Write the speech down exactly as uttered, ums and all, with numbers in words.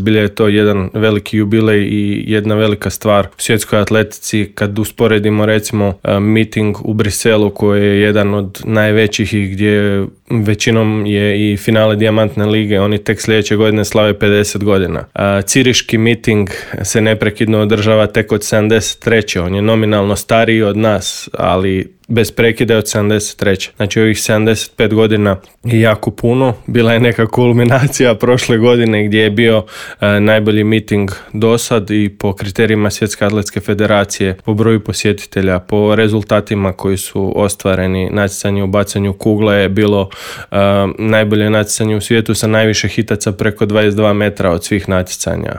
Zbilja je to jedan veliki jubilej i jedna velika stvar u svjetskoj atletici kad usporedimo recimo miting u Briselu koji je jedan od najvećih i gdje većinom je i finale Dijamantne lige, oni tek sljedeće godine slave pedeset godina. Ciriški miting se neprekidno održava tek od sedamdeset treće On je nominalno stariji od nas, ali bez prekida od sedamdeset treće Znači ovih sedamdeset pet godina je jako puno. Bila je neka kulminacija prošle godine gdje je bio e, najbolji miting do sad i po kriterijima Svjetske atletske federacije, po broju posjetitelja, po rezultatima koji su ostvareni. Natjecanje u bacanju kugle je bilo e, najbolje natjecanje u svijetu sa najviše hitaca preko dvadeset dva metra od svih natjecanja.